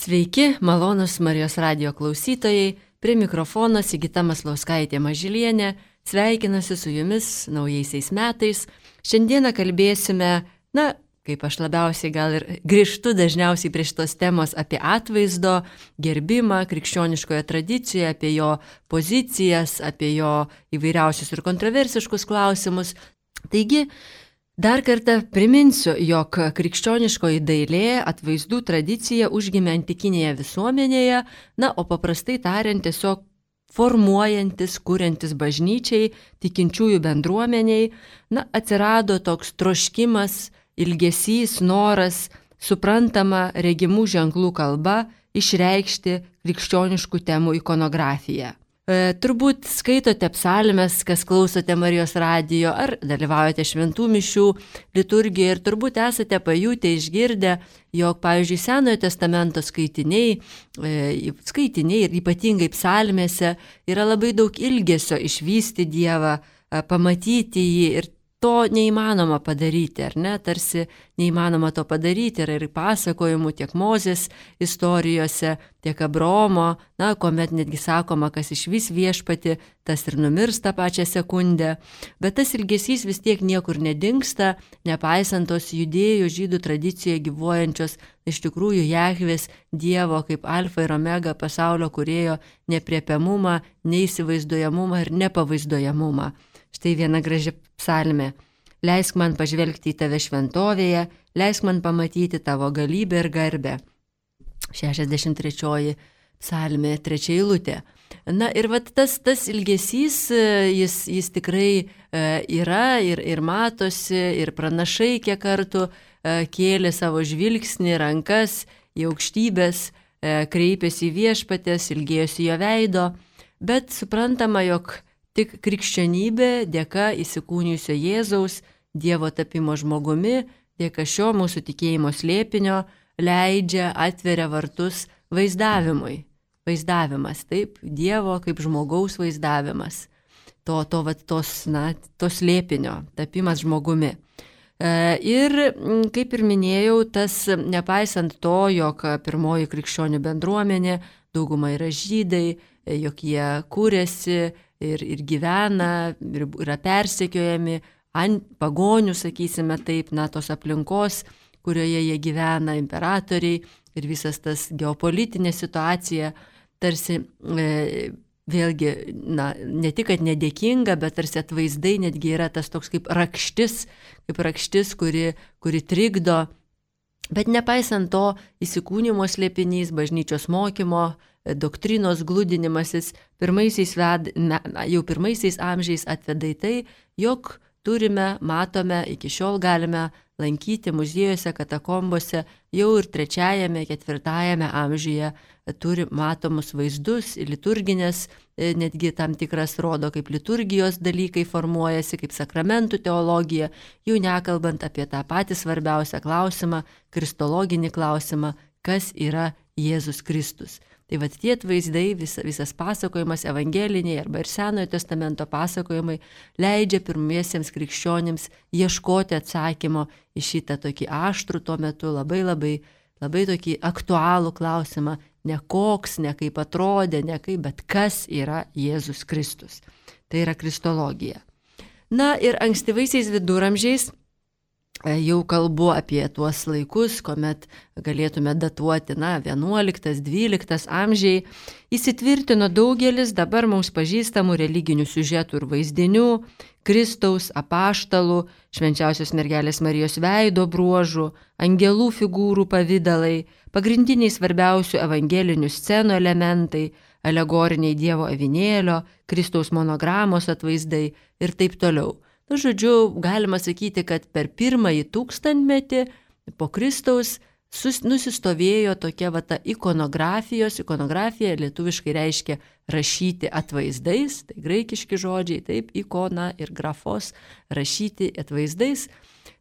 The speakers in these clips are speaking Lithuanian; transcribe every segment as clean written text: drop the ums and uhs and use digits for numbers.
Sveiki, malonus Marijos radijo klausytojai, prie mikrofono Sigita Maslauskaitė Mažylienė, sveikinasi su jumis naujaisiais metais. Šiandieną kalbėsime, kaip aš labiausiai gal ir grįžtu dažniausiai prie šitos temos apie atvaizdo gerbimą krikščioniškoje tradicijoje, apie jo pozicijas, apie jo įvairiausius ir kontroversiškus klausimus. Taigi, dar kartą priminsiu, jog krikščioniškoji dailė atvaizdų tradicija užgimė antikinėje visuomenėje, o paprastai tariant tiesiog formuojantis, kuriantis bažnyčiai, tikinčiųjų bendruomeniai, atsirado toks troškimas, ilgesys, noras, suprantama regimų ženklų kalba išreikšti krikščioniškų temų ikonografiją. Turbūt skaitote psalmes, kas klausote Marijos radijo, ar dalyvaujate šventų mišių liturgijoje ir turbūt esate pajutę, išgirdę, jog, pavyzdžiui, Senojo testamento skaitiniai ir ypatingai psalmėse yra labai daug ilgesio išvysti Dievą, pamatyti jį ir to neįmanoma padaryti, ar ne? Tarsi neįmanoma to padaryti, yra ir pasakojimų tiek Mozės istorijose, tiek Abraomo, kuomet netgi sakoma, kas išvis viešpati, tas ir numirs tą pačią sekundę. Bet tas ilgesys vis tiek niekur nedingsta, nepaisant tos judėjų žydų tradicijoje gyvuojančios iš tikrųjų Jahvės Dievo kaip alfa ir omega pasaulio kūrėjo nepriepiamumą, neįsivaizduojamumą ir nepavaizduojamumą. Štai viena graži psalmė. Leisk man pažvelgti į tave šventovėje, leisk man pamatyti tavo galybę ir garbę. 63 psalmė, 3 eilutė. Ir tas ilgesys, jis tikrai yra ir matosi, ir pranašai kiek kartų kėlė savo žvilgsnį, rankas į aukštybės, kreipėsi į viešpatės, ilgėjosi jo veido, bet suprantama, jog tik krikščionybė dėka įsikūnijusio Jėzaus, Dievo tapimo žmogumi, dėka šio mūsų tikėjimo slėpinio leidžia, atveria vartus vaizdavimui. Vaizdavimas, taip, Dievo kaip žmogaus vaizdavimas. To slėpinio, tapimas žmogumi. Ir, kaip ir minėjau, tas nepaisant to, jog pirmoji krikščionių bendruomenė, dauguma yra žydai, jog jie kūrėsi, ir gyvena, ir yra persekiojami ant pagonių, sakysime taip, tos aplinkos, kurioje jie gyvena, imperatoriai ir visas tas geopolitinė situacija, tarsi vėlgi, ne tik, kad nedėkinga, bet tarsi atvaizdai netgi yra tas toks kaip rakštis, kuri trikdo. Bet nepaisant to, įsikūnimo slėpinys, bažnyčios mokymo, doktrinos glūdinimasis jau pirmaisiais amžiais atveda į tai, jog matome, iki šiol galime lankyti muziejuose, katakombose, jau ir 3-4 amžiuje turi matomus vaizdus, liturginės, netgi tam tikras rodo, kaip liturgijos dalykai formuojasi, kaip sakramentų teologija, jau nekalbant apie tą patį svarbiausią klausimą, kristologinį klausimą, kas yra Jėzus Kristus. Tai tie atvaizdai, visas pasakojimas evangeliniai arba ir Senojo testamento pasakojimai leidžia pirmiesiems krikščionims ieškoti atsakymo į šitą tokį aštrų tuo metu labai tokį aktualų klausimą, ne koks, ne kaip atrodė, ne kaip, bet kas yra Jėzus Kristus. Tai yra kristologija. Ir ankstyvaisiais viduramžiais, jau kalbu apie tuos laikus, kuomet galėtume datuoti 11-12 amžiai, įsitvirtino daugelis dabar mums pažįstamų religinių siužetų ir vaizdinių, Kristaus, apaštalų, švenčiausios mergelės Marijos veido bruožų, angelų figūrų pavidalai, pagrindiniai svarbiausių evangelinių scenų elementai, alegoriniai Dievo avinėlio, Kristaus monogramos atvaizdai ir taip toliau. Žodžiu, galima sakyti, kad per pirmąjį 1000-metį po Kristaus nusistovėjo tokia ta ikonografija lietuviškai reiškia rašyti atvaizdais, tai graikiški žodžiai, taip, ikona ir grafos, rašyti atvaizdais.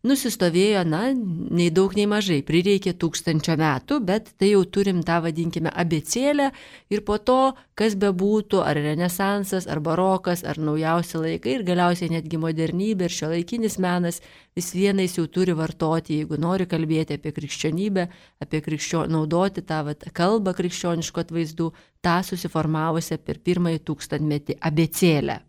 nusistovėjo, nei daug, nei mažai, prireikė 1000 metų, bet tai jau turim tą, vadinkime, abėcėlę ir po to, kas bebūtų, ar renesansas, ar barokas, ar naujausi laikai ir galiausiai netgi modernybė ir šiuolaikinis menas vis vienais jau turi vartoti, jeigu nori kalbėti apie krikščionybę, naudoti tą kalbą krikščioniškų atvaizdų, tą susiformavusią per pirmąjį 1000-metį abėcėlę.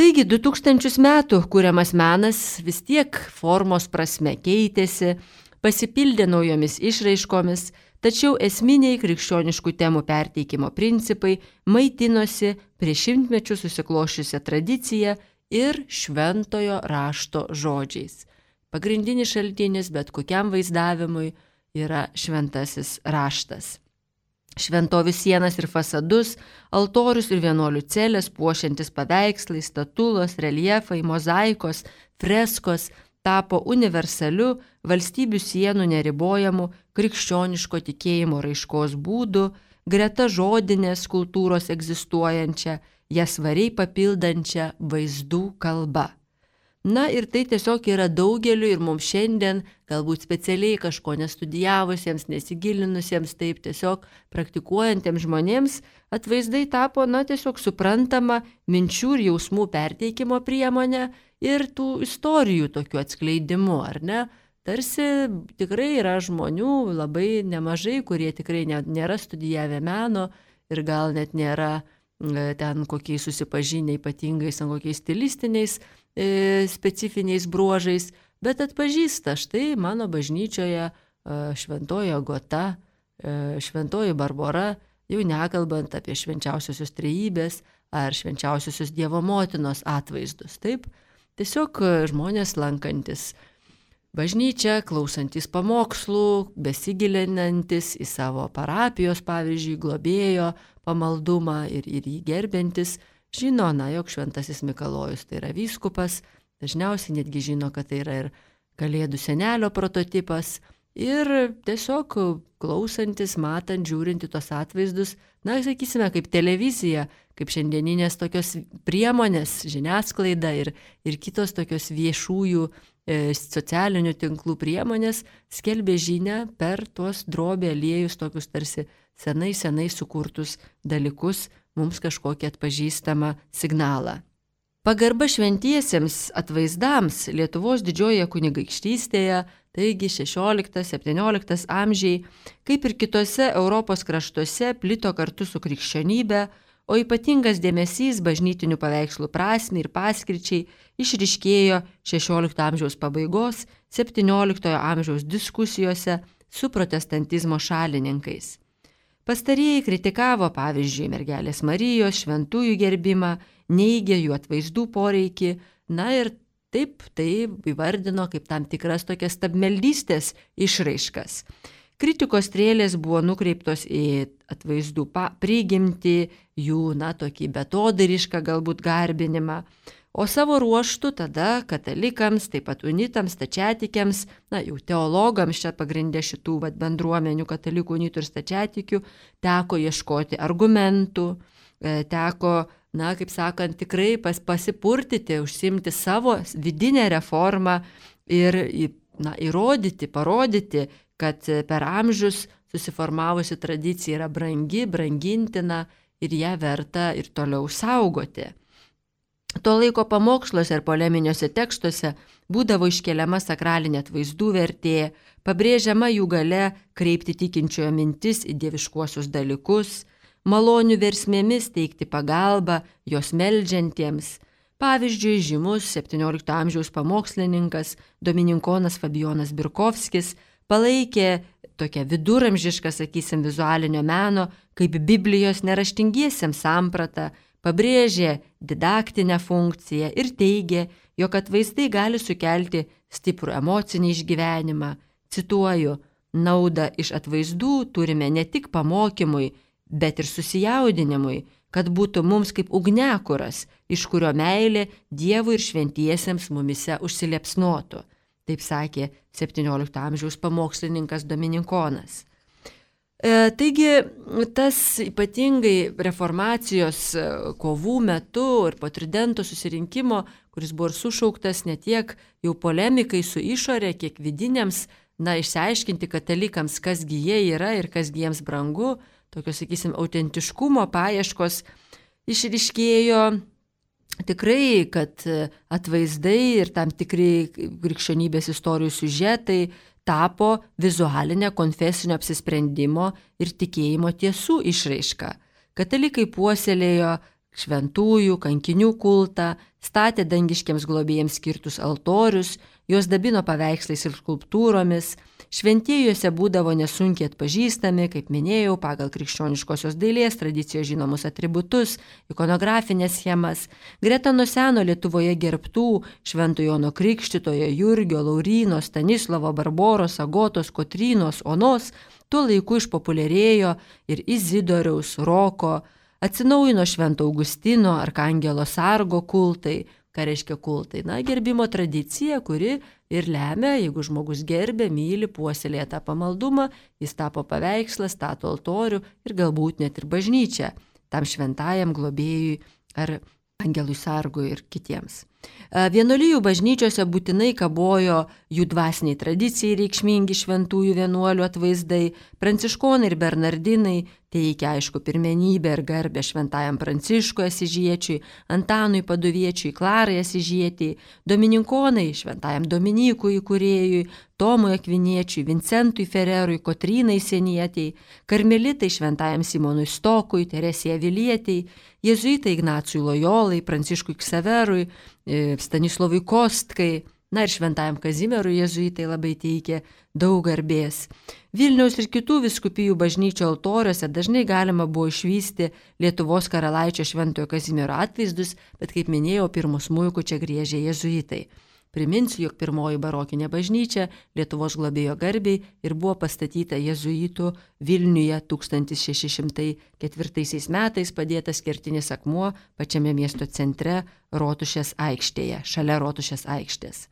Taigi 2000 metų kuriamas menas vis tiek formos prasme keitėsi, pasipildė naujomis išraiškomis, tačiau esminiai krikščioniškų temų perteikimo principai maitinosi prieš šimtmečių susiklošiusią tradiciją ir šventojo rašto žodžiais. Pagrindinis šaltinis bet kokiam vaizdavimui yra šventasis raštas. Šventovių sienas ir fasadus, altorius ir vienuolių celės puošiantis paveikslai, statulos, reljefai, mozaikos, freskos tapo universaliu valstybių sienų neribojamu krikščioniško tikėjimo raiškos būdu, greta žodinės kultūros egzistuojančią, ją svariai papildančią vaizdų kalba. Ir tai tiesiog yra daugeliu ir mums šiandien, galbūt specialiai kažko nestudijavusiems, nesigilinusiems, taip tiesiog praktikuojantiems žmonėms, atvaizdai tapo, tiesiog suprantama minčių ir jausmų perteikimo priemonė ir tų istorijų tokių atskleidimu, ar ne? Tarsi tikrai yra žmonių labai nemažai, kurie tikrai nėra studijavę meno ir gal net nėra ten kokiais susipažinę ypatingais, kokiais stilistiniais specifiniais bruožais, bet atpažįsta, štai mano bažnyčioje šventoji Agota, šventoji Barbora, jau nekalbant apie švenčiausiosios trejybės ar švenčiausiosios Dievo motinos atvaizdus. Taip, tiesiog žmonės lankantis bažnyčią, klausantis pamokslų, besigilinantis į savo parapijos, pavyzdžiui, globėjo pamaldumą ir jį gerbiantis, žino, jog šventasis Mikalojus tai yra vyskupas, dažniausiai netgi žino, kad tai yra ir Kalėdų senelio prototipas ir tiesiog klausantis, matant, žiūrinti tos atvaizdus, sakysime, kaip televizija, kaip šiandieninės tokios priemonės, žiniasklaida ir kitos tokios viešųjų socialinių tinklų priemonės skelbė žinią per tuos drobė aliejus, tokius tarsi senai sukurtus dalykus, mums kažkokį atpažįstamą signalą. Pagarba šventiesiems atvaizdams Lietuvos didžiojoje kunigaikštystėje, taigi 16-17 amžiai, kaip ir kitose Europos kraštuose, plito kartu su krikščionybe, o ypatingas dėmesys bažnytinių paveikslų prasmei ir paskirčiai išryškėjo 16 amžiaus pabaigos, 17 amžiaus diskusijose su protestantizmo šalininkais. Pastarieji kritikavo, pavyzdžiui, mergelės Marijos šventųjų gerbimą, neigė jų atvaizdų poreikį, ir taip tai įvardino kaip tam tikras tokias stabmeldystės išraiškas. Kritikos strėlės buvo nukreiptos į atvaizdų prigimtį, jų, tokį betodarišką galbūt garbinimą, o savo ruoštų tada katalikams, taip pat unitams, stačiatikiams, jau teologams čia pagrindė šitų bendruomenių, katalikų, unitų ir stačiatikių, teko ieškoti argumentų, teko, kaip sakant, tikrai pasipurtyti, užsimti savo vidinę reformą ir įrodyti, parodyti, kad per amžius susiformavusi tradicija yra brangi, brangintina ir ją verta ir toliau saugoti. To laiko pamoksluose ir poleminiuose tekstuose būdavo iškeliama sakralinė atvaizdų vertė, pabrėžiama jų galia kreipti tikinčiojo mintis į dieviškuosius dalykus, malonių versmėmis teikti pagalbą jos meldžiantiems. Pavyzdžiui, žymus 17 amžiaus pamokslininkas domininkonas Fabijonas Birkovskis palaikė tokią viduramžišką, vizualinio meno kaip Biblijos neraštingiesiems sampratą, pabrėžė didaktinę funkciją ir teigė, jog atvaizdai gali sukelti stiprų emocinį išgyvenimą. Cituoju, naudą iš atvaizdų turime ne tik pamokymui, bet ir susijaudinimui, kad būtų mums kaip ugniakuras, iš kurio meilė Dievui ir šventiesiems mumise užsiliepsnotų. Taip sakė 17 amžiaus pamokslininkas domininkonas. Taigi tas ypatingai reformacijos kovų metu ir po Tridento susirinkimo, kuris buvo ir sušauktas ne tiek jau polemikai su išorė, kiek vidiniams, išsiaiškinti katalikams, kasgi jie yra ir kasgi jiems brangu, tokios, sakysim, autentiškumo paieškos išryškėjo tikrai, kad atvaizdai ir tam tikri krikščionybės istorijų siužetai tapo vizualinė konfesinio apsisprendimo ir tikėjimo tiesų išraiška. Katalikai puoselėjo šventųjų, kankinių kultą, statė dangiškiams globėjams skirtus altorius, juos dabino paveikslais ir skulptūromis, šventieji juose būdavo nesunkiai atpažįstami, kaip minėjau, pagal krikščioniškosios dailės tradicijos žinomus atributus, ikonografinės schemas. Greta nuo seno Lietuvoje gerbtų Švento Jono Krikštytojo, Jurgio, Lauryno, Stanislovo, Barboros, Agotos, Kotrynos, Onos tuo laiku išpopuliarėjo ir Izidoriaus, Roko, atsinaujino Švento Augustino, Arkangelo Sargo kultai. Ką reiškia kultai? Gerbimo tradicija, kuri ir lemia, jeigu žmogus gerbė, myli, puoselėja tą pamaldumą, jis tapo paveikslas, stato altorių ir galbūt net ir bažnyčią tam šventajam globėjui ar angelui sargui ir kitiems. Vienuolijų bažnyčiose būtinai kabojo jų dvasiniai tradicijai reikšmingi šventųjų vienuolių atvaizdai. Pranciškonai ir bernardinai teikia aišku pirmenybę ir garbę šventajam Pranciškui Asyžiečiui, Antanui Paduviečiui, Klarai Asyžietei, domininkonai šventajam Dominykui įkūrėjui, Tomui Akviniečiui, Vincentui Fererui, Kotrynai Senietei, karmelitai šventajam Simonui Stokui, Teresei Avilietei, jėzuitai Ignacui Lojolai, Pranciškui Ksaverui, Stanislovui Kostkai, ir šventajam Kazimierui jėzuitai labai teikė daug garbės. Vilniaus ir kitų vyskupijų bažnyčių altoriuose dažnai galima buvo išvysti Lietuvos karalaičio Šventojo Kazimiero atvaizdus, bet kaip minėjau, pirmu smuiku čia griežė jėzuitai. Priminsiu, jog pirmoji barokinė bažnyčia Lietuvos globėjo garbiai ir buvo pastatyta jėzuitų Vilniuje 1604 metais, padėtas kertinis akmuo pačiame miesto centre Rotušės aikštėje, šalia Rotušės aikštės.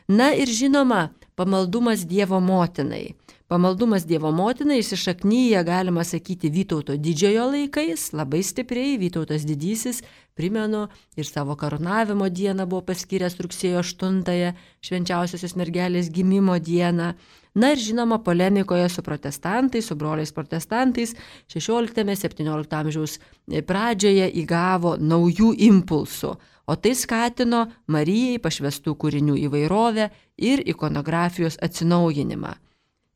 Ir žinoma, pamaldumas Dievo motinai. Pamaldumas Dievo motinai įsišaknyja, galima sakyti, Vytauto didžiojo laikais, labai stipriai. Vytautas didysis, primenu, ir savo karūnavimo dieną buvo paskyręs rugsėjo 8-ąją, švenčiausiosios mergelės gimimo dieną. Ir žinoma, polemikoje su protestantais, su broliais protestantais 16-17 amžiaus pradžioje įgavo naujų impulsų, o tai skatino Marijai pašvestų kūrinių įvairovę ir ikonografijos atsinaujinimą.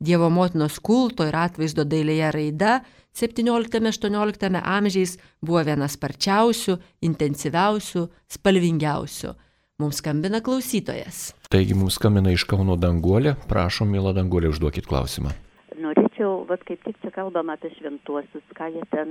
Dievo motinos kulto ir atvaizdo dailėje raida 17-18 amžiais buvo viena sparčiausių, intensyviausių, spalvingiausių. Mums skambina klausytojas. Taigi mums skambina iš Kauno Danguolė. Prašom, mėla Danguolė, užduokit klausimą. Norėčiau, kaip tik čia kalbam apie šventuosius, ką jie ten,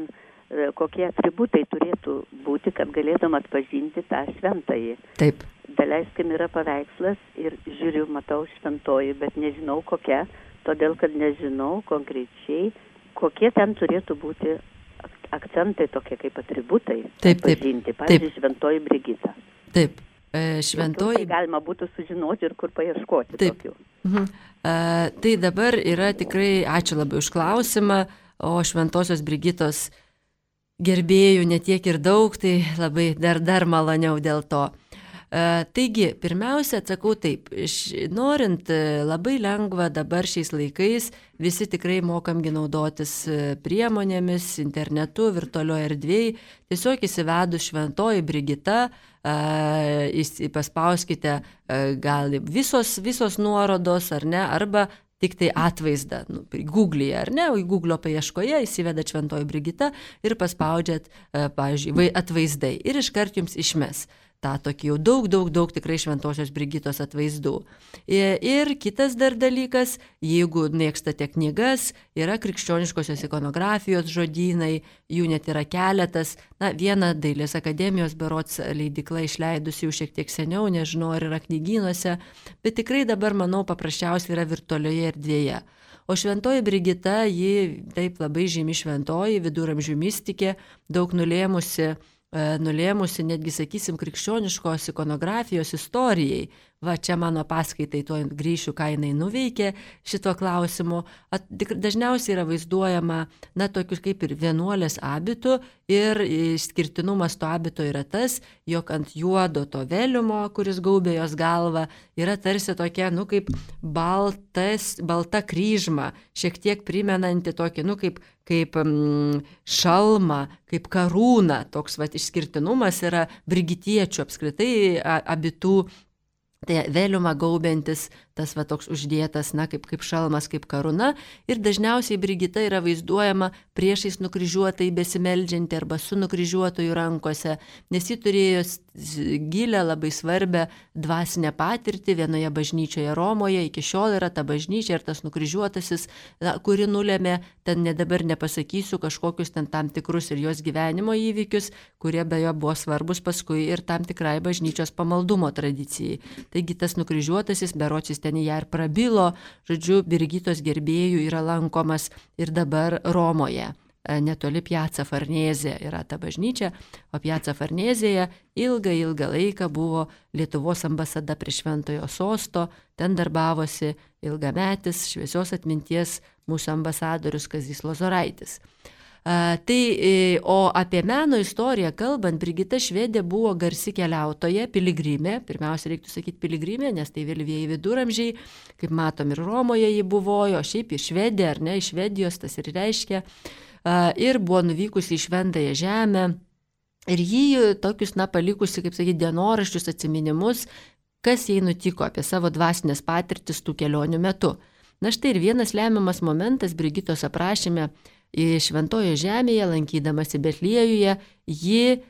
kokie atributai turėtų būti, kad galėtum atpažinti tą šventąjį. Taip. Daleiskim yra paveikslas ir žiūriu, matau šventoji, bet nežinau kokia, todėl kad nežinau konkrečiai, kokie ten turėtų būti akcentai tokie kaip atributai. Taip. Atpažinti. Pavyzdžiui, šventoji Brigita. Taip. Šventoji. Tai galima būtų sužinoti ir kur paieškoti. Taip. Tokių. Tai dabar yra tikrai, ačiū labai už klausimą, o šventosios Brigitos gerbėjų netiek ir daug, tai labai dar maloniau dėl to. Taigi, pirmiausia, atsakau taip, norint labai lengva dabar šiais laikais, visi tikrai mokamgi naudotis priemonėmis, internetu, virtualioje erdvėje, tiesiog įsivedus šventoji Brigita, paspauskite gal visos nuorodos, ar ne, arba tik tai atvaizdą, Google'e, ar ne, į Google'o paieškoje įsivedat šventoji Brigita ir paspaudžiat, pavyzdžiui, atvaizdai ir iškart jums išmes tą tokį jau daug tikrai šventosios Brigitos atvaizdų. Ir kitas dar dalykas, jeigu mėgstate knygas, yra krikščioniškosios ikonografijos žodynai, jų net yra keletas. Viena Dailės akademijos berods leidykla išleidusi jau šiek tiek seniau, nežinau, ar yra knygynuose, bet tikrai dabar, manau, paprasčiausiai yra virtualioje erdvėje. O šventoji Brigita, ji taip labai žymi šventoji, viduramžių mistikė, daug nulėmusi nulėmusi netgi, sakysim, krikščioniškos ikonografijos istorijai. Va, čia mano paskaitai, tuo grįšiu, ką jinai nuveikė šito klausimu. Dažniausiai yra vaizduojama, tokius kaip ir vienuolės abitų, ir išskirtinumas to abito yra tas, jog ant juodo to veliumo, kuris gaubė jos galvą, yra tarsi tokia, kaip balta kryžma, šiek tiek primenanti tokį, kaip šalmą, kaip karūną. Toks išskirtinumas yra brigitiečių apskritai abitų. Tai veliumą gaubiantis, tas toks uždėtas, kaip šalmas, kaip karūna. Ir dažniausiai Brigita yra vaizduojama priešais nukryžiuotai besimeldžianti arba su nukryžiuotojų rankose, nes ji turėjo gilę, labai svarbę dvasinę patirtį vienoje bažnyčioje Romoje. Iki šiol yra ta bažnyčia ir tas nukryžiuotasis, kuri nulėmė, ten dabar nepasakysiu, kažkokius ten tam tikrus ir jos gyvenimo įvykius, kurie beje buvo svarbus paskui ir tam tikrai bažnyčios pamaldumo tradicijai. Taigi tas nukryžiuotasis, beročiais ten ją ir prabilo, žodžiu, Brigitos gerbėjų yra lankomas ir dabar Romoje. Netoli Piazza Farnese yra ta bažnyčia, o Piazza Farnesėje ilgą laiką buvo Lietuvos ambasada prie Šventojo Sosto, ten darbavosi ilgametis šviesios atminties mūsų ambasadorius Kazys Lozoraitis. O apie meno istoriją kalbant, Brigita Švedė buvo garsi keliautoja, piligrimė, pirmiausia reiktų sakyti piligrimė, nes tai vėlyvieji viduramžiai, kaip matom ir Romoje ji buvojo, šiaip į Švediją, ar ne, iš Švedijos tas ir reiškia, ir buvo nuvykusi į Šventąją žemę, ir jį tokius, palikusi, kaip sakyti, dienoraščius, atsiminimus, kas jai nutiko apie savo dvasinės patirtis tų kelionių metu. Štai ir vienas lemiamas momentas Brigitos aprašyme. Šventojoje žemėje, lankydamasi Betliejuje, ji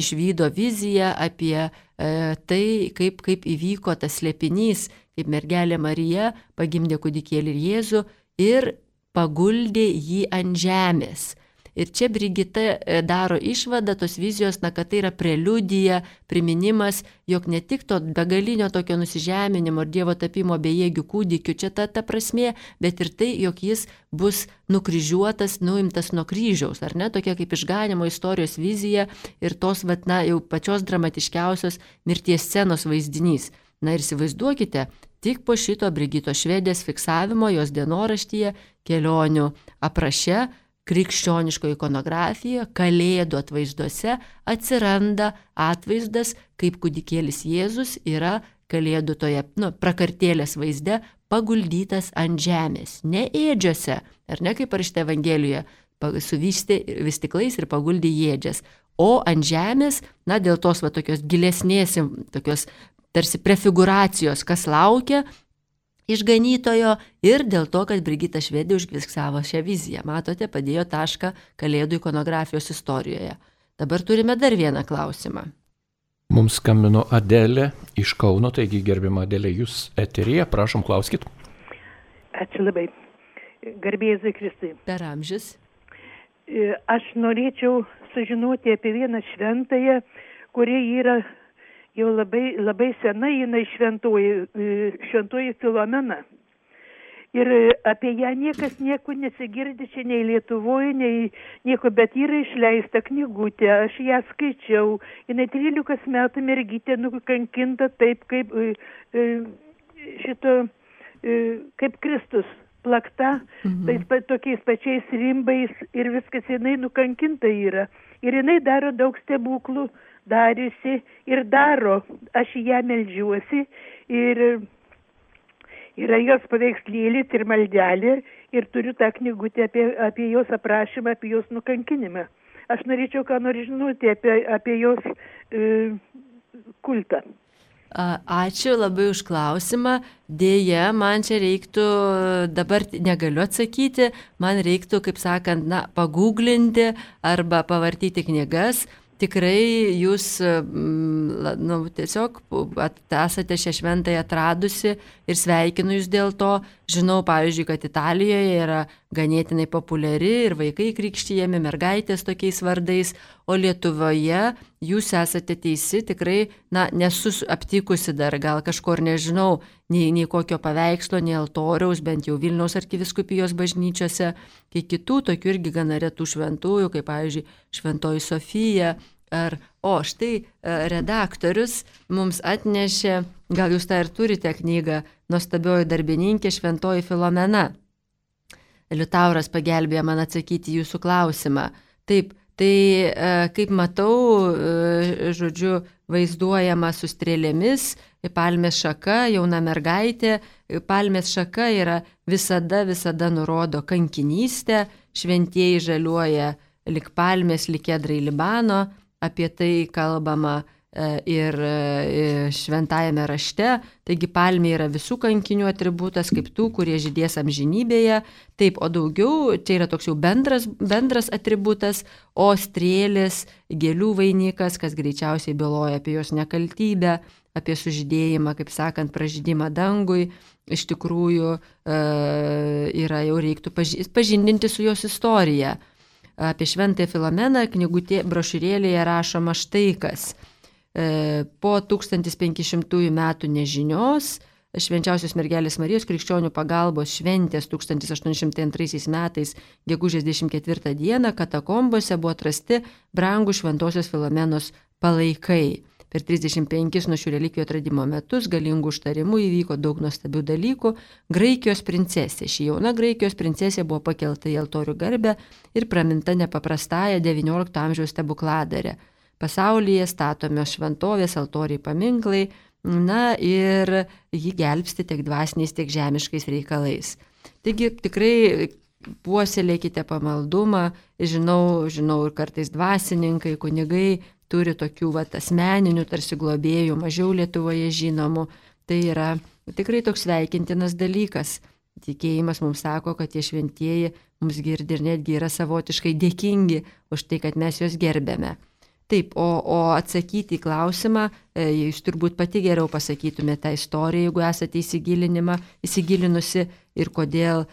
išvydo viziją apie tai, kaip įvyko tas slėpinys, kaip mergelė Marija pagimdė kūdikėlį ir Jėzų ir paguldė jį ant žemės. Ir čia Brigita daro išvadą tos vizijos, kad tai yra preliudija, priminimas, jog ne tik to begalinio tokio nusižeminimo ir Dievo tapimo bejėgių kūdikių, čia ta prasmė, bet ir tai, jog jis bus nukryžiuotas, nuimtas nuo kryžiaus, ar ne, tokia kaip išganimo istorijos vizija ir tos, jau pačios dramatiškiausios mirties scenos vaizdinys. Ir įsivaizduokite, tik po šito Brigitos Švedės fiksavimo jos dienoraštyje, kelionių apraše, krikščioniško ikonografijoje, kalėdų atvaizduose atsiranda atvaizdas, kaip kūdikėlis Jėzus yra kalėdų toje prakartėlės vaizde paguldytas ant žemės, ne ėdžiose, ar ne kaip parašyta Evangelijoje, suvystė vystiklais ir paguldė ėdžias, o ant žemės, dėl tos tokios gilesnės, tokios tarsi prefiguracijos, kas laukia išganytojo ir dėl to, kad Brigita Švedė užfiksavo šią viziją. Matote, padėjo tašką kalėdų ikonografijos istorijoje. Dabar turime dar vieną klausimą. Mums skambino Adelė iš Kauno, taigi gerbiama Adelė, jūs eteryje, prašom, klauskit. Ačiū labai. Garbė Jėzui Kristui. Per amžius. Aš norėčiau sužinoti apie vieną šventąją, kuri yra jau labai senai, jinai šventoji Filomena. Ir apie ją niekas nieko nesigirdi, čia nei Lietuvoje, nei nieko, bet yra išleista knygutė, aš ją skaičiau, jinai 13 metų mergytė nukankinta taip, kaip Kristus, plakta, tokiais pačiais rimbais ir viskas, jinai nukankinta yra. Ir jinai daro daug stebuklų, dariusi ir daro. Aš į ją meldžiuosi ir yra jos paveikslėlis ir maldelė ir turiu tą knygutę apie jos aprašymą, apie jos nukankinimą. Aš norėčiau ką nors žinoti apie jos kultą. Ačiū labai už klausimą. Dėja, man čia reiktų, dabar negaliu atsakyti, man reiktų, kaip sakant, paguglinti arba pavartyti knygas. Tikrai jūs tiesiog esate šią šventąją atradusi ir sveikinu jūs dėl to. Žinau, pavyzdžiui, kad Italijoje yra ganėtinai populiari ir vaikai krikštijami, mergaitės tokiais vardais, o Lietuvoje jūs esate teisi, tikrai, nesu aptikusi dar, gal kažkur nežinau, nei kokio paveikslo, nei altoriaus, bent jau Vilniaus arkivyskupijos bažnyčiose, kai kitų tokių irgi gana retų šventųjų, kaip pavyzdžiui Šventoji Sofija. Štai redaktorius mums atnešė, gal jūs tą ir turite knygą, Nuostabioji darbininkė Šventoji Filomena. Liutauras pagelbėjo man atsakyti jūsų klausimą. Taip, tai kaip matau, žodžiu, vaizduojama su strėlėmis, palmės šaka, jauna mergaitė. Palmės šaka yra visada nurodo kankinystę, šventieji žaliuoja lik palmės, lik kedrai Libano. Apie tai kalbama ir šventajame rašte. Taigi palmė yra visų kankinių atributas, kaip tų, kurie žydės amžinybėje. Taip, o daugiau, čia yra toks jau bendras atributas, o strėlės, gėlių vainikas, kas greičiausiai byloja apie jos nekaltybę, apie sužydėjimą, kaip sakant, pražydimą dangui. Iš tikrųjų yra jau reiktų pažindinti su jos istorija. Apie Šventąją Filomeną brošiūrėlėje rašoma štai kas. Po 1500 metų nežinios Švenčiausios mergelės Marijos krikščionių pagalbos šventės 1802 metais gegužės 24 dieną katakombose buvo atrasti brangūs Šventosios Filomenos palaikai. Per 35 nuo šių relikvijų atradimo metus galingų užtarimų įvyko daug nuostabių dalykų. Graikijos princesė. Ši jauna Graikijos princesė buvo pakelta į altorių garbę ir praminta nepaprastąją XIX amžiaus stebukladarę. Pasaulyje statomios šventovės, altoriai, paminklai, ir jį gelbsti tiek dvasiniais, tiek žemiškais reikalais. Taigi tikrai puoselėkite pamaldumą. Žinau ir kartais dvasininkai, kunigai turi tokių asmeninių tarsi globėjų, mažiau Lietuvoje žinomų. Tai yra tikrai toks sveikintinas dalykas. Tikėjimas mums sako, kad tie šventieji mums girdi ir netgi yra savotiškai dėkingi už tai, kad mes juos gerbėme. Taip, o atsakyti į klausimą, jūs turbūt pati geriau pasakytumėte tą istoriją, jeigu esate įsigilinusi ir kodėl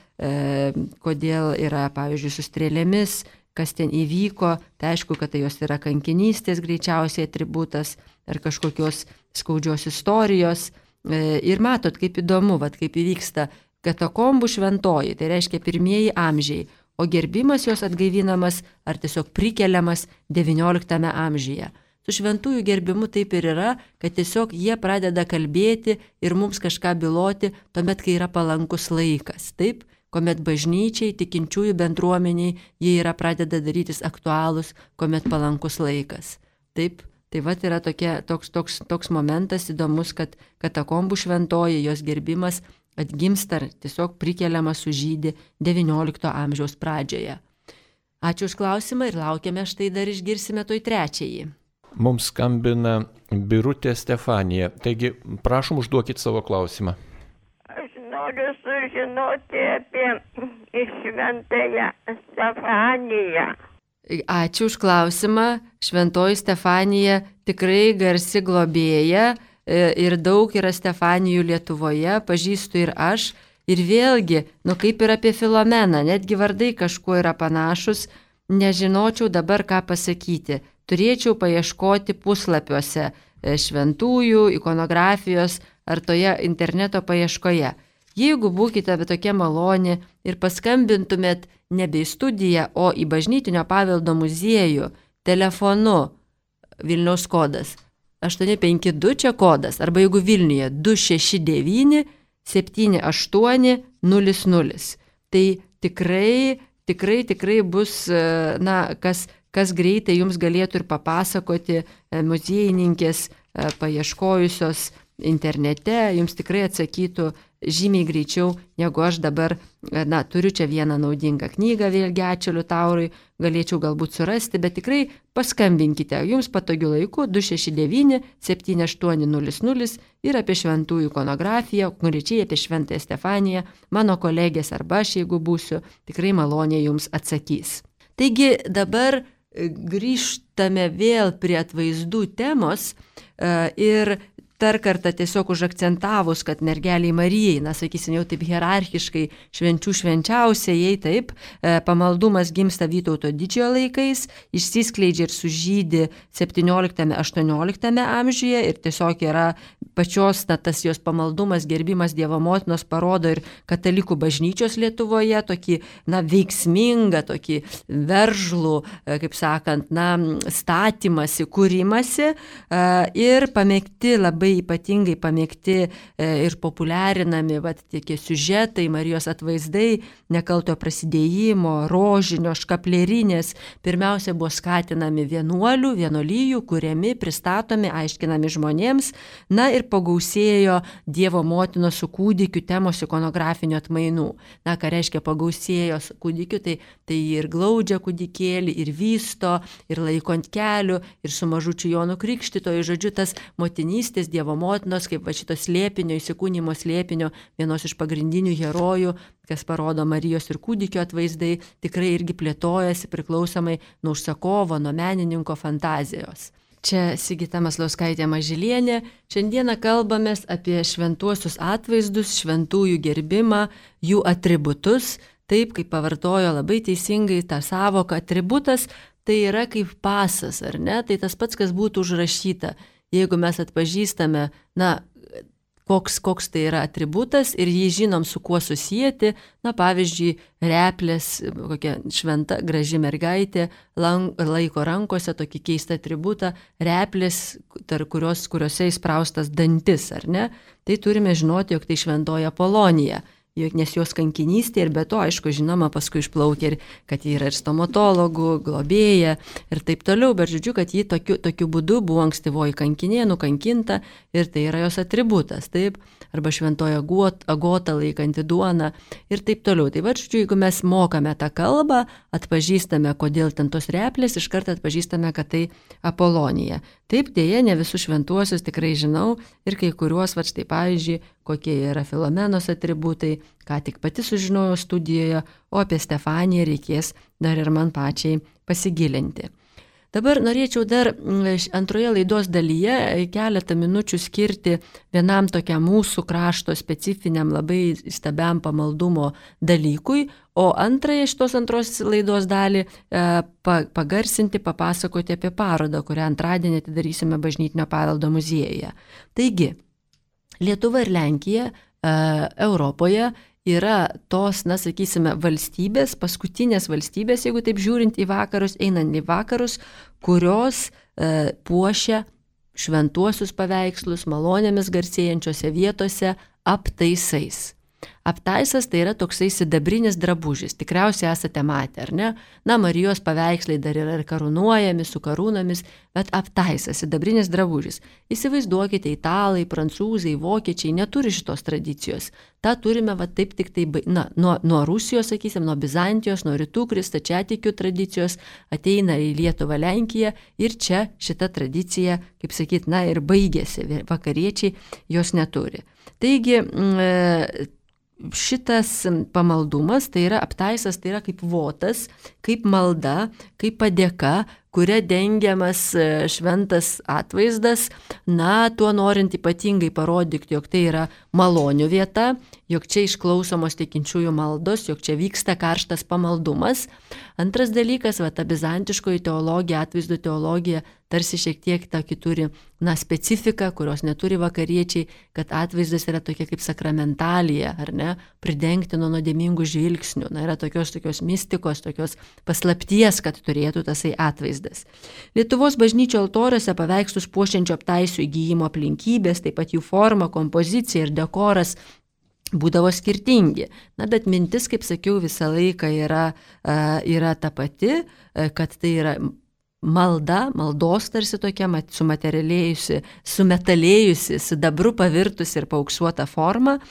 yra, pavyzdžiui, su strėlėmis, kas ten įvyko. Tai aišku, kad tai jos yra kankinystės greičiausiai atributas ar kažkokios skaudžios istorijos. Ir matot, kaip įdomu, kaip įvyksta katakombų šventoji, tai reiškia pirmieji amžiai, o gerbimas jos atgaivinamas ar tiesiog prikeliamas XIX amžiuje. Su šventųjų gerbimu taip ir yra, kad tiesiog jie pradeda kalbėti ir mums kažką byloti tuomet, kai yra palankus laikas. Taip, kuomet bažnyčiai, tikinčiųjų bendruomeniai, jie yra pradeda darytis aktualūs, kuomet palankus laikas. Taip, tai yra toks momentas įdomus, kad katakombų šventoji, jos gerbimas atgimsta ar tiesiog prikeliamas sužydi XIX amžiaus pradžioje. Ačiū už klausimą ir laukiame, štai dar išgirsime toj trečiąjį. Mums skambina Birutė Stefanija. Taigi, prašom, užduokit savo klausimą. Aš noriu sužinoti apie Šventąją Stefaniją. Ačiū už klausimą. Šventoji Stefanija tikrai garsi globėja ir daug yra Stefanijų Lietuvoje, pažįstu ir aš. Ir vėlgi, kaip ir apie Filomeną, netgi vardai kažkuo yra panašus, nežinočiau dabar ką pasakyti. Turėčiau paieškoti puslapiuose šventųjų, ikonografijos ar toje interneto paieškoje. Jeigu būkite tokia maloni ir paskambintumėt nebe į studiją, o į Bažnytinio paveldo muziejų telefonu, Vilniaus kodas 852 čia kodas, arba jeigu Vilniuje 269 7800. Tai tikrai bus, kas greitai jums galėtų ir papasakoti muziejininkės paieškojusios internete, jums tikrai atsakytų žymiai greičiau, negu aš dabar, turiu čia vieną naudingą knygą, vėlgi ačiū Liutaurui, galėčiau galbūt surasti, bet tikrai paskambinkite jums patogiu laiku 269 7800 ir apie šventųjų ikonografiją, konkrečiai apie Šventąją Stefaniją, mano kolegės arba aš, jeigu būsiu, tikrai maloniai jums atsakys. Taigi dabar grįžtame vėl prie atvaizdų temos ir dar kartą tiesiog užakcentavus, kad mergeliai Marijai, na, sakysim, jau taip hierarchiškai švenčių švenčiausiai, taip, pamaldumas gimsta Vytauto didžiojo laikais, išsiskleidžia ir sužydi 17-18 amžiuje ir tiesiog yra pačios, na, tas jos pamaldumas, gerbimas Dievo motinos parodo ir katalikų bažnyčios Lietuvoje tokį, na, veiksmingą, tokį veržlų, kaip sakant, na, statymasi, kūrimasi ir pamėgti, labai ypatingai pamėgti ir populiarinami tie siužetai, Marijos atvaizdai, nekaltojo prasidėjimo, rožinio, škaplerinės, pirmiausia buvo skatinami vienuolių, vienolyjų, kuriami, pristatomi, aiškinami žmonėms, na ir pagausėjo Dievo motinos su kūdikiu temos ikonografinių atmainų. Na, ką reiškia pagausėjo su kūdikiu, tai ir glaudžia kūdikėlį, ir vysto, ir laiko ant kelių, ir su mažučiu Jonu Krikštytoju, žodžiu, tas motinystės Dievo motinos, kaip va šito slėpinio, įsikūnymo slėpinio, vienos iš pagrindinių herojų, kas parodo Marijos ir kūdikio atvaizdai, tikrai irgi plėtojasi priklausomai nuo užsakovo, nuo menininko fantazijos. Čia Sigita Maslauskaitė Mažylienė. Šiandieną kalbamės apie šventuosius atvaizdus, šventųjų gerbimą, jų atributus, taip kaip pavartojo labai teisingai tą savoką atributas, tai yra kaip pasas, ar ne? Tai tas pats, kas būtų užrašyta. Jeigu mes atpažįstame, na, koks tai yra atributas ir jį žinom, su kuo susijęti, na, pavyzdžiui, replės, kokia šventa, graži mergaitė, laiko rankose tokį keistą atributą, replės, kuriuose įspraustas dantis, ar ne? Tai turime žinoti, jog tai šventoji Apolonija. Nes jos kankinystė ir be to, aišku, žinoma, paskui išplaukė ir kad ji yra ir stomatologų, globėja ir taip toliau, bet žodžiu, kad ji tokiu būdu buvo ankstyvoji kankinė, nukankinta ir tai yra jos atributas, taip, arba šventoji Agota laikanti duoną ir taip toliau. Tai va, žodžiu, jeigu mes mokame tą kalbą, atpažįstame, kodėl ten tos replės, iš karto atpažįstame, kad tai Apolonija. Taip, dėja, ne visus šventuosius tikrai žinau ir kai kuriuos, va štai pavyzdžiui, kokie yra Filomenos atributai, ką tik pati sužinojau studijoje, o apie Stefaniją reikės dar ir man pačiai pasigilinti. Dabar norėčiau dar antroje laidos dalyje keletą minučių skirti vienam tokiam mūsų krašto specifiniam labai stabiam pamaldumo dalykui, o antrąją šitos antros laidos dalį pagarsinti, papasakoti apie parodą, kurią antradienį atidarysime Bažnytinio paveldo muziejuje. Taigi, Lietuva ir Lenkija Europoje yra tos, na, sakysime, valstybės, paskutinės valstybės, jeigu taip žiūrint į vakarus, einant į vakarus, kurios puošia šventuosius paveikslus malonėmis garsėjančiose vietose aptaisais. Aptaisas tai yra toksai sidabrinis drabužis, tikriausiai esate matę, ar ne? Na, Marijos paveikslai dar yra ir karūnuojami su karūnomis, bet aptaisas, sidabrinis drabužis. Įsivaizduokite, italai, prancūzai, vokiečiai neturi šitos tradicijos. Ta turime va taip tik tai, na, nuo Rusijos, sakysim, nuo Bizantijos, nuo rytų stačiatikių tradicijos ateina į Lietuvą, Lenkiją ir čia šita tradicija, kaip sakyt, na ir baigėsi, vakariečiai jos neturi. Taigi, šitas pamaldumas, tai yra aptaisas, tai yra kaip votas, kaip malda, kaip padėka, kuria dengiamas šventas atvaizdas, na, tuo norint ypatingai parodyti, jog tai yra malonių vieta, jog čia išklausomos tikinčiųjų maldos, jog čia vyksta karštas pamaldumas. Antras dalykas, ta bizantiškoji teologija, atvaizdų teologija, tarsi šiek tiek tokį turi, na, specifiką, kurios neturi vakariečiai, kad atvaizdas yra tokia kaip sakramentalija, ar ne, pridengti nuo nuodėmingų žvilgsnių. Na, yra tokios mistikos, tokios paslapties, kad turėtų tasai atvaizdas. Lietuvos bažnyčio altoriuose paveikslus puošiančio aptaisų įgyjimo aplinkybės, taip pat jų forma, kompozicija ir dekoras būdavo skirtingi. Na, bet mintis, kaip sakiau, visą laiką yra ta pati, kad tai yra malda, maldos tarsi tokia sumetalėjusi, sidabru pavirtusi ir paauksuota forma.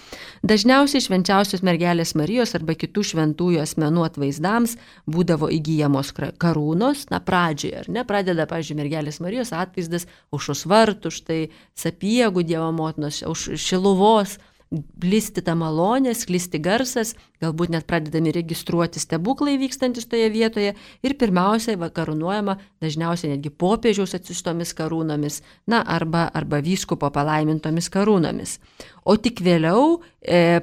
Dažniausiai švenčiausios mergelės Marijos arba kitų šventųjų asmenų atvaizdams būdavo įgyjamos karūnos, na, pradžioje, ar ne, pradeda, pavyzdžiui, mergelės Marijos atvaizdas aušros vartų, štai Sapiegų Dievo motinos, Šiluvos, plisti ta malonė, sklisti garsas, galbūt net pradedami registruoti stebuklai vykstantis toje vietoje ir pirmiausiai karūnuojama dažniausiai netgi popiežiaus atsiųstomis karūnomis, arba vyskupo palaimintomis karūnomis. O tik vėliau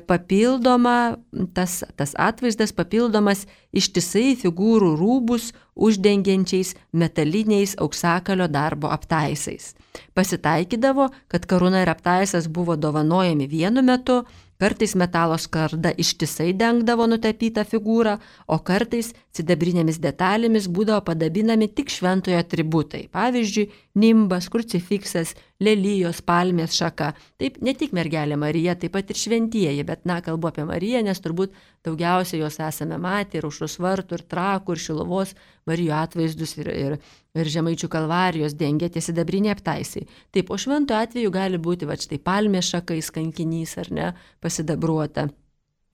papildoma, tas atvaizdas papildomas ištisai figūrų rūbus uždengiančiais metaliniais auksakalio darbo aptaisais. Pasitaikydavo, kad karūna ir aptaisas buvo dovanojami vienu metu, kartais metalo skarda ištisai dengdavo nutapytą figūrą, o kartais sidabrinėmis detalėmis būdavo padabinami tik šventojo atributai. Pavyzdžiui, nimbas, krucifiksas, lelijos, palmės šaka. Taip, ne tik mergelė Marija, taip pat ir šventieji, bet kalbu apie Mariją, nes turbūt daugiausiai jos esame matę ir Aušros vartų, ir Trakų, ir Šiluvos Marijų atvaizdus, ir Žemaičių kalvarijos dengia tie sidabriniai aptaisai. Taip, o švento atveju gali būti štai palmės šakais kankinys, ar ne, pasidabruota.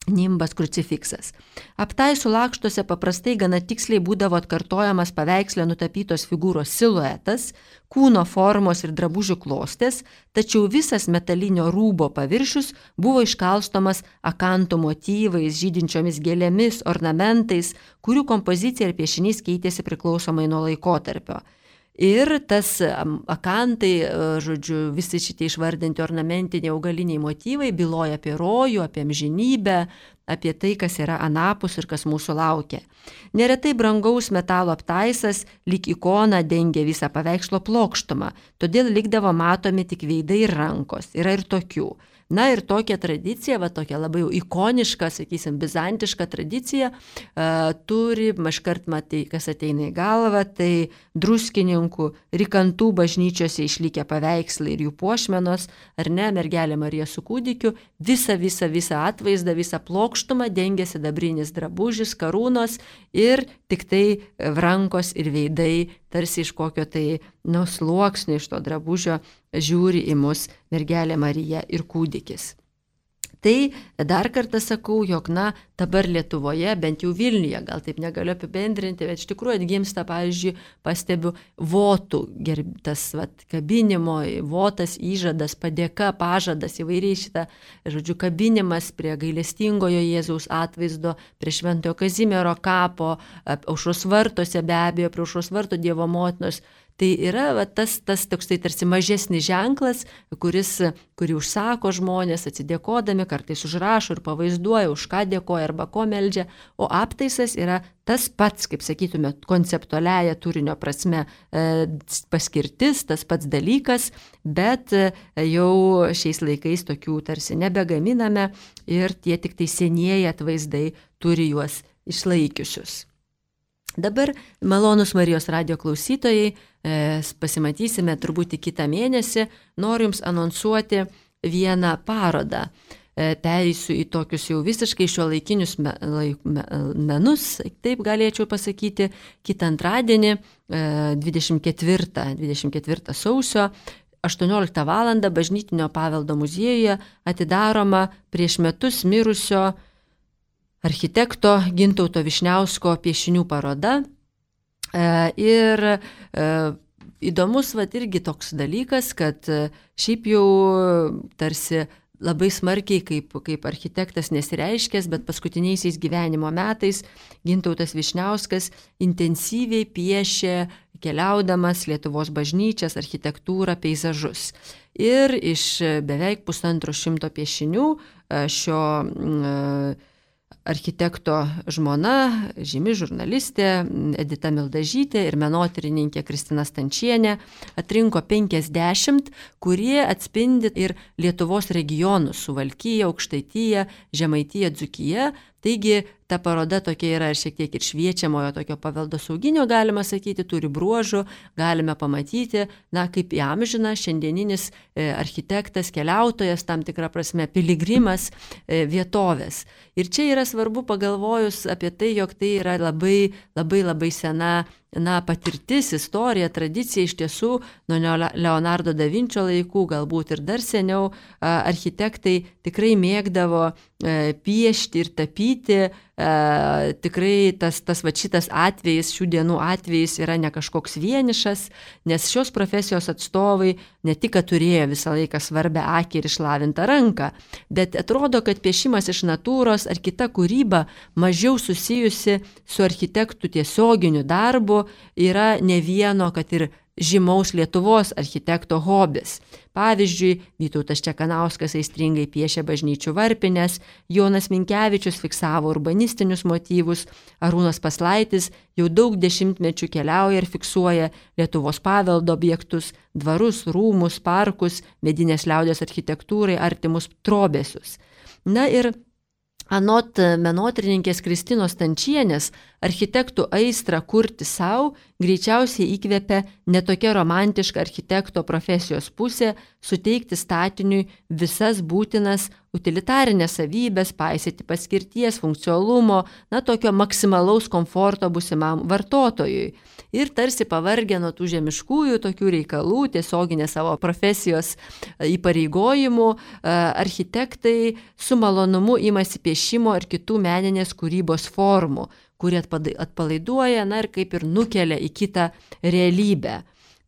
Nimbas, krucifiksas. Aptaisų lakštuose paprastai gana tiksliai būdavo atkartojamas paveiksle nutapytos figūros siluetas, kūno formos ir drabužių klostės, tačiau visas metalinio rūbo paviršius buvo iškalstomas akantų motyvais, žydinčiomis gėlėmis, ornamentais, kurių kompozicija ir piešinys keitėsi priklausomai nuo laikotarpio. Ir tas akantai, visi šitie išvardinti ornamentiniai augaliniai motyvai byloja apie rojų, apie amžinybę, apie tai, kas yra anapus ir kas mūsų laukia. Neretai brangaus metalo aptaisas lyg ikona dengia visą paveikslo plokštumą, todėl likdavo matomi tik veidai ir rankos. Yra ir tokių. Ir tokia tradicija, tokia labai ikoniška, sakysim, bizantiška tradicija, turi, iškart matai, kas ateina į galvą, tai Druskininkų, Rykantų bažnyčiose išlikę paveikslai ir jų puošmenos, ar ne, mergelė Marija su kūdikiu, visą atvaizdą, visą plokštumą dengia sidabrinis drabužis, karūnos ir tik tai rankos ir veidai, tarsi iš kokio tai sluoksnio iš to drabužio žiūri į mus mergelė Marija ir kūdikis. Tai dar kartą sakau, jog dabar Lietuvoje, bent jau Vilniuje, gal taip negaliu apibendrinti, bet iš tikrųjų atgimsta, pavyzdžiui, pastebiu votų, tas kabinimo, votas, įžadas, padėka, pažadas, įvairiai šitą, kabinimas prie gailestingojo Jėzaus atvaizdo, prie Šventojo Kazimiero kapo, Aušros vartuose be abejo, prie Aušros vartų Dievo motinos. Tai yra tas toks tai tarsi mažesnis ženklas, kurį užsako žmonės atsidėkodami, kartais užrašo ir pavaizduoja, už ką dėkoja arba ko meldžia, o aptaisas yra tas pats, kaip sakytume, konceptualiaja turinio prasme paskirtis, tas pats dalykas, bet jau šiais laikais tokių tarsi nebegaminame ir tie tik tai senieji atvaizdai turi juos išlaikiusius. Dabar, malonus Marijos radijo klausytojai, pasimatysime turbūt kitą mėnesį. Noriu Jums anonsuoti vieną parodą. Pereisiu į tokius jau visiškai šiuolaikinius menus, taip galėčiau pasakyti, kitą antradienį, 24 sausio, 18 val. Bažnytinio paveldo muziejuje atidaroma prieš metus mirusio architekto Gintauto Vyšniausko piešinių paroda. Ir įdomus irgi toks dalykas, kad šiaip jau tarsi labai smarkiai kaip architektas nesireiškęs, bet paskutiniaisiais gyvenimo metais Gintautas Vyšniauskas intensyviai piešė, keliaudamas Lietuvos bažnyčias, architektūrą, peizažus. Ir iš beveik 150 piešinių šio architekto žmona, žymi žurnalistė Edita Mildažytė ir menotyrininkė Kristina Stančienė atrinko 50, kurie atspindi ir Lietuvos regionus: Suvalkiją, Aukštaitiją, Žemaitiją, Dzūkiją. Taigi ta paroda tokia yra šiek tiek ir šviečiamojo tokio paveldosauginio, galima sakyti, turi bruožų, galime pamatyti, kaip įamžina šiandieninis architektas, keliautojas, tam tikrą prasme piligrimas vietovės. Ir čia yra svarbu pagalvojus apie tai, jog tai yra labai sena patirtis, istorija, tradicija. Iš tiesų nuo Leonardo da Vinčio laikų, galbūt ir dar seniau, architektai tikrai mėgdavo piešti ir tapyti tikrai tas šitas atvejis, šių dienų atvejis yra ne kažkoks vienišas, nes šios profesijos atstovai ne tik, kad turėjo visą laiką svarbę akį ir išlavintą ranką, bet atrodo, kad piešimas iš natūros ar kita kūryba mažiau susijusi su architektų tiesioginiu darbu yra ne vieno, kad ir žymaus Lietuvos architekto hobis. Pavyzdžiui, Vytautas Čekanauskas aistringai piešė bažnyčių varpines, Jonas Minkevičius fiksavo urbanistinius motyvus, Arūnas Paslaitis jau daug dešimtmečių keliauja ir fiksuoja Lietuvos paveldo objektus, dvarus, rūmus, parkus, medinės liaudės architektūrai artimus trobesius. Na ir anot menotyrininkės Kristinos Stančienės, architektų aistrą kurti savo greičiausiai įkvėpė netokia romantiška architekto profesijos pusė suteikti statiniui visas būtinas utilitarinės savybės, paisyti paskirties, funkcionalumo, tokio maksimalaus komforto būsimam vartotojui. Ir tarsi pavargę nuo tų žemiškųjų tokių reikalų, tiesioginės savo profesijos įpareigojimų, architektai su malonumu imasi piešimo ir kitų meninės kūrybos formų, kurie atpalaiduoja, ir kaip ir nukelia į kitą realybę.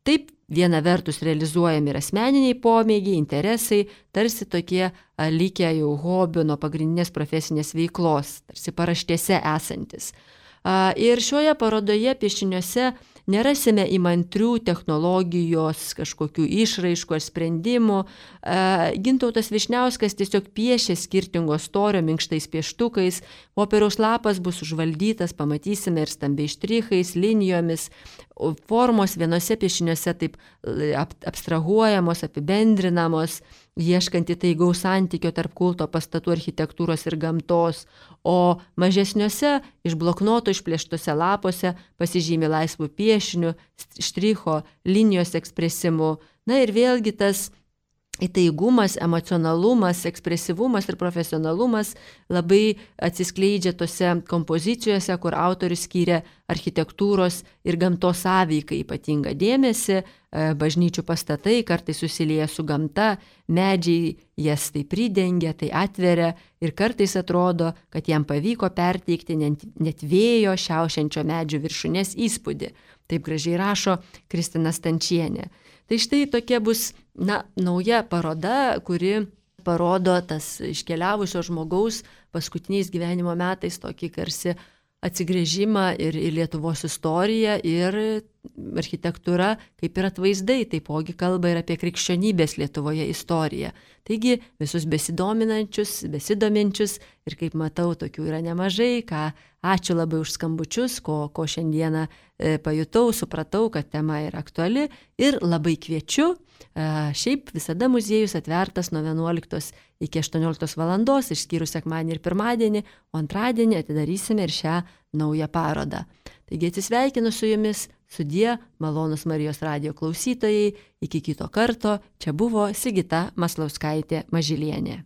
Taip, viena vertus realizuojami ir asmeniniai pomėgiai, interesai, tarsi tokie likę jau hobių nuo pagrindinės profesinės veiklos, tarsi paraštėse esantis. Ir šioje parodoje piešiniuose nerasime įmantrių technologijos kažkokių išraiškų ar sprendimų. Gintautas Vyšniauskas tiesiog piešė skirtingo storio minkštais pieštukais, popieriaus lapas bus užvaldytas, pamatysime ir stambiais štrichais, linijomis, formos vienose piešiniuose taip abstrahuojamos, apibendrinamos, ieškant įtaigaus santykio tarp kulto pastatų architektūros ir gamtos, o mažesniuose iš bloknoto išplėštose lapuose pasižymi laisvų piešinių, štricho, linijos ekspresimu. Ir vėlgi tas įtaigumas, emocionalumas, ekspresyvumas ir profesionalumas labai atsiskleidžia tose kompozicijose, kur autorius skyrė architektūros ir gamtos sąveikai ypatingą dėmesį. Bažnyčių pastatai kartais susilieja su gamta, medžiai jas tai pridengia, tai atveria ir kartais atrodo, kad jam pavyko perteikti net vėjo šiaušiančio medžių viršūnės įspūdį. Taip gražiai rašo Kristina Stančienė. Tai štai tokia bus nauja paroda, kuri parodo tas iškeliavusio žmogaus paskutiniais gyvenimo metais tokį tarsi atsigręžimą ir į Lietuvos istoriją, ir architektūra kaip ir atvaizdai taipogi kalba ir apie krikščionybės Lietuvoje istoriją. Taigi visus besidominančius, besidominčius, ir kaip matau, tokių yra nemažai, ačiū labai už skambučius, ko šiandieną pajutau, supratau, kad tema yra aktuali, ir labai kviečiu. Šiaip visada muziejus atvertas nuo 11 iki 18 valandos, išskyrus sekmadienį ir pirmadienį, o antradienį atidarysime ir šią naują parodą. Taigi atsisveikinu su jumis, sudie, malonūs Marijos radijo klausytojai, iki kito karto, čia buvo Sigita Maslauskaitė Mažylienė.